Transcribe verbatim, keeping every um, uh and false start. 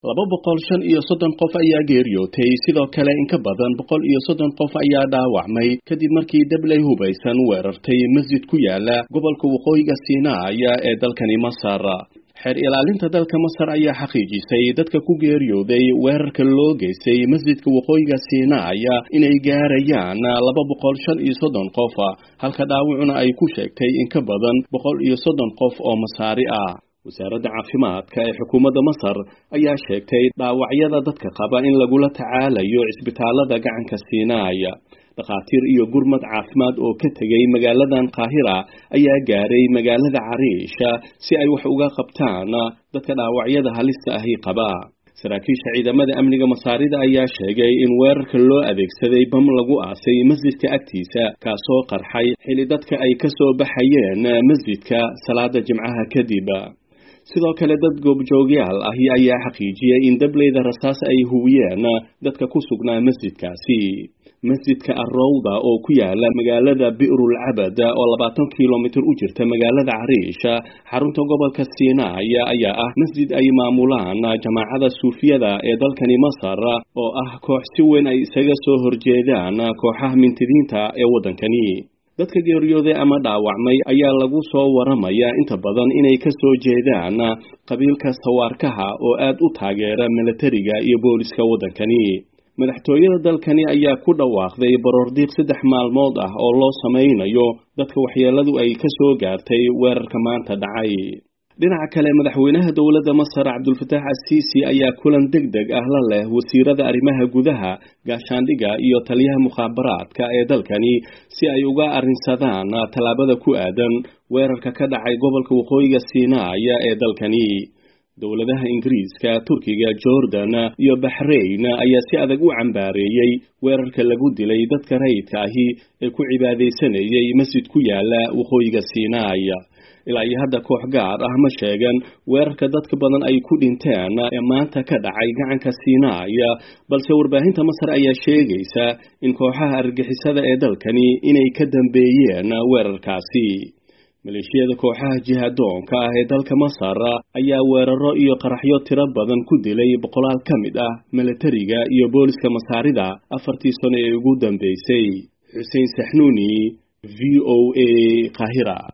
Laba boqol shan iyo soddon qof ayaa geeriyootay, sidoo kale in ka badan boqol iyo soddon qof ayaa dhaawacmay kadib markii dabley hubaysan weerartay masjid ku yaala gobolka waqooyiga Siinaaya ee dalkani Masar. Xeer ilaalinta dalka Masar ayaa xaqiijisay dadka ku geeriyooday weerarka loo geystay masjidka waqooyiga Siinaaya inay gaarayaan laba boqol shan iyo soddon qof, halka dhaawacuna ay ku sheegtay in ka badan boqol iyo soddon qof oo Masaari ah. Wasaaradda caafimaadka ee xukuumadda Masar ayaa sheegtay dhaawacyada dadka qaba in lagula tacaalayo cisbitaalada gacanka Siinaaya. Dhakhaatiir iyo gurmad caafimaad oo ka tegay magaaladan Qaahira ayaa gaaray magaalada Cariisha si ay wax uga qabtaan dadka dhaawacyada halista ahi qaba. Saraakiisha ciidamada amniga Masaarida ayaa sheegay in weerarka loo adeegsaday bam lagu aasay masjidka agtiisa, kaasoo qarxay xili dadka ay ka soo baxayeen masjidka salaada Jimcaha kadib. Sidoo kale dad goobjoogyaal ahi ayaa xaqiijiyey in dableyda rasaas ay huwiyeen dadka ku sugnaa masjidkaasi. Masjidka Arrowda oo ku yaala magaalada Bi'rul Cabad oo labaatan kilomitir u jirta magaalada Cariisha, xarunta gobolka Siinaaya, ayaa ah masjid ay maamulaan jamaacada suufiyada ee dalkani Masar, oo ah koox si weyn ay isaga soo horjeedaan kooxaha mintidiinta ee waddankani. Dadka geeriyooday ama dhaawacmay ayaa lagu soo waramayaa inta badan inay ka soo jeedaan qabiilka Sawaarkaha oo aad u taageera milatariga iyo booliska waddankani. Madaxtooyada dalkani ayaa ku dhawaaqday baroordiiq saddex maalmood ah oo loo samaynayo dadka waxyeeladu ay ka soo gaartay weerarka maanta dhacay. Dhinaca kale, madaxweynaha dowladda Masar Cabdulfataax Asiisi ayaa kulan deg deg ah la leh wasiirada arrimaha gudaha, gaashaandhigga iyo taliyaha mukhaabaraadka ee dalkani si ay uga arrinsadaan tallaabada ku aadan weerarka ka dhacay gobolka waqooyiga Siinaaya ee dalkani. Dowladaha Ingiriiska, Turkiga, Jordan iyo Baxrayn ayaa si adag u cambaareeyey weerarka lagu dilay dadka rayidka ahi ee ku cibaadaysanayay masjid ku yaala waqooyiga Siinaaya. Ilaa iyo hadda koox gaar ah ma sheegan weerarka dadka badan ay ku dhinteen ee maanta ka dhacay gacanka Siinaaya, balse warbaahinta Masar ayaa sheegaysa in kooxaha argagixisada ee dalkani inay ka dambeeyeen weerarkaasi. Maleeshiyada kooxaha jihadoonka ah ee dalka Masar ayaa weeraro iyo qaraxyo tiro badan ku dilay boqolaal ka mid ah milatariga iyo booliska Masaarida afartii sano ee ugu dambeysay. Xuseen Saxnuuni, V O A, Qaahira.